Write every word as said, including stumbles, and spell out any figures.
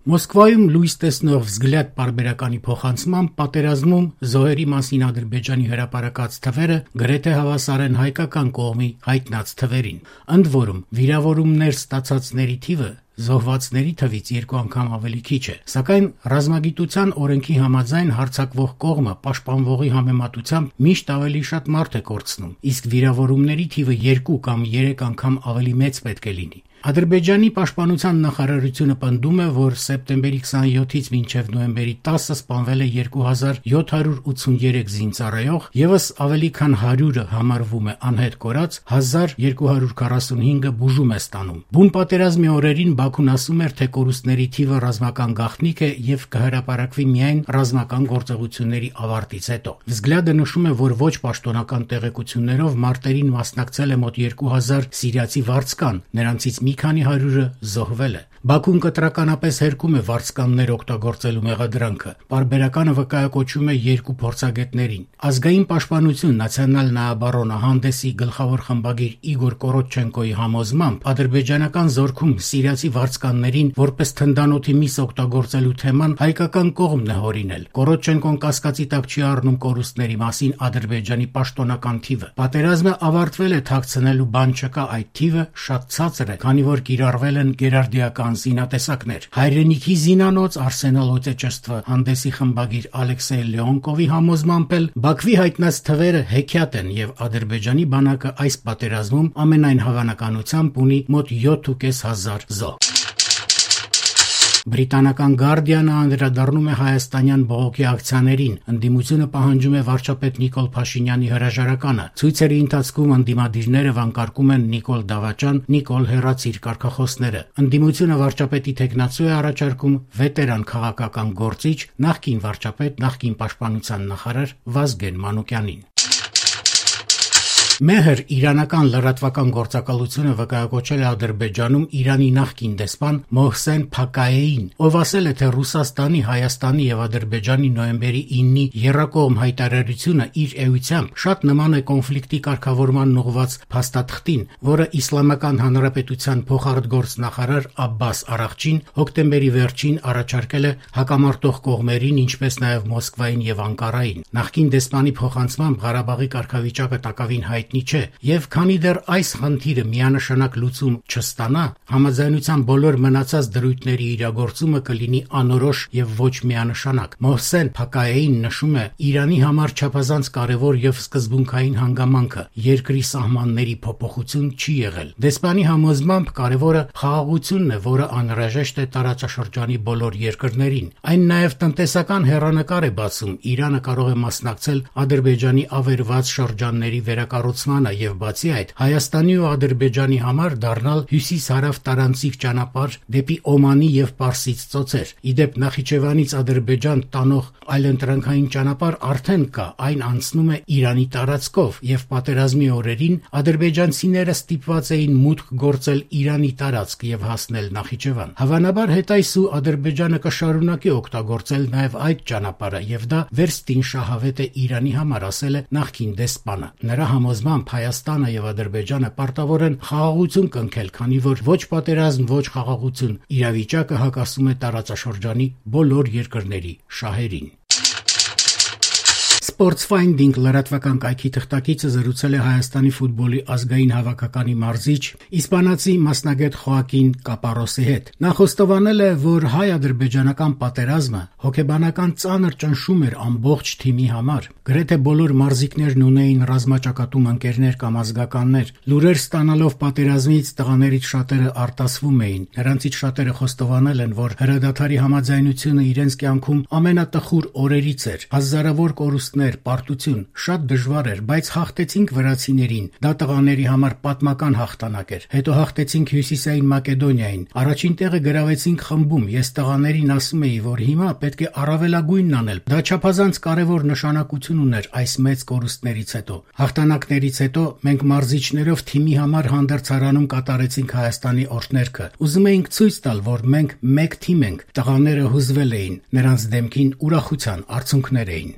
Մոսկվայում լույս տեսնող «Վզգլյադ» պարբերականի փոխանցմամբ պատերազմում զոհերի մասին Ադրբեջանի հրապարակած թվերը գրեթե հավասար են հայկական կողմի հայտնած թվերին։ Ընդ որում, վիրավորումներ ստացածների թիվը զոհվածների թվից երկու անգամ ավելի քիչ է, սակայն ռազմագիտության օրենքի համաձայն հարձակվող կողմը պաշտպանվողի համեմատությամբ միշտ ավելի շատ մարդ է կորցնում, իսկ վիրավորումների թիվը երկու կամ երեք անգամ ավելի մեծ պետք է լինի։ Ադրբեջանի պաշտպանության նախարարությունը պնդում է, որ սեպտեմբերի քսանյոթից մինչև նոյեմբերի տասը սպանվել է երկու հազար յոթ հարյուր ութսուներեք զինծառայող, ևս ավելի քան հարյուրը համարվում է անհետ կորած, հազար երկու հարյուր քառասունհինգը բուժում է ստանում։ Բուն պատերազմի օրերին Բաքուն ասում էր, թե կորուստների թիվը ռազմական գաղտնիք է եւ կհրապարակվի միայն ռազմական գործողությունների ավարտից հետո։ Վզգլյադը նշում է, որ ոչ պաշտոնական տեղեկություններով մարտերին մասնակցել է մոտ երկու հազար սիրիացի վարձկան, նրանցից մի քանի հարյուրը զոհվել է։ Բաքուն կտրականապես հերքում է վարձկաններ օգտագործելու մեղադրանքը։ Պարբերականը վկայակոչում է երկու փորձագետներին։ Ազգային պաշտպանություն Նացիոնալ նայաբարոնը հանդեսի գլխավոր խմբագիր Իգոր Կորոչչենկոյի համոզմամբ ադրբեջանական զորքում սիրիացի վարձկաններին որպես թնդանոթի միս օգտագործելու թեման հայկական կողմն է հորինել։ Կորոչչենկոն կասկածի տակ չի առնում կորուստների մասին Ադրբեջանի պաշտոնական թիվը։ Պատերազմը ավարտվել է, թաքցնելու բան չկա, այդ թիվը շատ ցածր է, քանի որ կիրառվել են գերարդիական զինատեսակներ։ Հայրենիքի զինանոց Արսենալ Օտեչեստվը հանդեսի խմբագիր Ալեքսեյ Լեոնկովի համոզմամբ էլ Բաքվի հայտնած թվերը հեքիաթ են եւ Ադրբեջանի բանակը այս պատերազմում ամենայն հավանականությամբ ունի մոտ յոթ ու կես հազար զոհ։ Բրիտանական Guardian-ը անդրադառնում է հայաստանյան բողոքի ակցիաներին, ընդդիմությունը պահանջում է վարչապետ Նիկոլ Փաշինյանի հրաժարականը։ Ցույցերի ընթացքում ընդդիմադիրները վանկարկում են Նիկոլ Դավաճան, Նիկոլ հեռացիր կարգախոսները։ Ընդդիմությունը վարչապետի թեկնածու է առաջարկում վետերան քաղաքական գործիչ, նախկին վարչապետ, նախկին պաշտպանության նախարար Վազգեն Մանուկյանին։ Մեհր իրանական լրատվական գործակալությունը վկայակոչել է Ադրբեջանում Իրանի նախկին դեսպան Մոհսեն Փակայեին, ով ասել է, թե Ռուսաստանի, Հայաստանի եւ Ադրբեջանի նոյեմբերի իննի եռակողմ հայտարարությունը իր էությամբ շատ նման է կոնֆլիկտի կարգավորման ուղղված փաստաթղթին, որը Իսլամական Հանրապետության փոխարտգործնախարար Աբբաս Արաղչին հոկտեմբերի վերջին առաջարկել է հակամարտող կողմերին, ինչպես նաեւ Մոսկվային եւ Անկարային։ Նախկին դեսպանի փոխանցմամբ Ղարաբաղի կարգավիճակը տակավին հայտ չէ, եւ քանի դեռ այս խնդիրը միանշանակ լուծում չստանա, համաձայնության բոլոր մնացած դրույթների իրագործումը կլինի անորոշ եւ ոչ միանշանակ։ Մոհսեն Փակայեին նշում է, Իրանի համար չափազանց կարևոր եւ սկզբունքային հանգամանքը երկրի սահմանների փոփոխություն չի եղել։ Դեսպանի համոզմամբ կարևորը խաղաղությունն է, որը անհրաժեշտ է տարածաշրջանի բոլոր երկրներին։ Այն նաեւ տնտեսական հեռանկար է բացում։ Իրանը կարող է մասնակցել Ադրբեջանի ավերված շրջանների վերակառուցմանը եւ բացի այդ Հայաստանի ու Ադրբեջանի համար դառնալ հյուսիս-հարավ տարանցիկ ճանապարհ դեպի Օմանի եւ Պարսից ծոցեր։ Իդեպ Նախիջևանից Ադրբեջան տանող այլընտրանքային ճանապարհ արդեն կա, այն անցնում է Իրանի տարածքով եւ պատերազմի օրերին ադրբեջանցիները ստիպված էին մուտք գործել Իրանի տարածք եւ հասնել Նախիջևան։ Հավանաբար հետայսու Ադրբեջանը կշարունակի օգտագործել նաեւ այդ ճանապարհը եւ դա վերստին շահավետ է Իրանի համար, ասել է նախկին դեսպանը։ Նրա համոզմամբ Հայաստանը եւ Ադրբեջանը պարտավոր են խաղաղություն կնքել, քանի որ ոչ պատերազմ, ոչ խաղաղություն իրավիճակը հակասում է տարածաշրջանի բոլոր երկրների շահերին։ Sportsfinding լրատվական կայքի թղթակիցը զրուցել է Հայաստանի ֆուտբոլի ազգային հավաքականի մարզիչ իսպանացի մասնագետ Խոակին Կապարոսի հետ։ Նա խոստովանել է, որ հայ-ադրբեջանական պատերազմը հոգեբանական ծանր ճնշում էր ամբողջ թիմի համար։ Գրեթե բոլոր մարզիկներն ունեին ռազմաճակատում ընկերներ կամ ազգականներ։ Լուրեր ստանալով պատերազմից տղաներից շատերը արտասվում էին։ Նրանցից շատերը խոստովանել են, որ հրադադարի համաձայնությունը իրենց կյանքում ամենատխուր օրերից էր։ Հազարավոր կորուստներ, պարտություն, շատ դժվար էր, բայց հաղթեցինք վրացիներին։ Դա տղաների համար պատմական հաղթանակ էր։ Հետո հաղթեցինք Հյուսիսային Մակեդոնիային։ Առաջին տեղը գրավեցինք խմբում։ Ես տղաներին ասում էի, որ հիմա պետք է առավելագույնն անել։ Դա չափազանց կարևոր նշանակություն ուներ այս մեծ կորուստներից հետո։ Հաղթանակներից հետո մենք մարզիչներով թիմի համար հանդերձարանում կատարեցինք Հայաստանի օրհներգը։ Ուզում էինք ցույց տալ, որ մենք մեկ թիմ ենք։ Տղաները հուզվել էին, նրանց դեմքին ուրախության արցունքներ էին։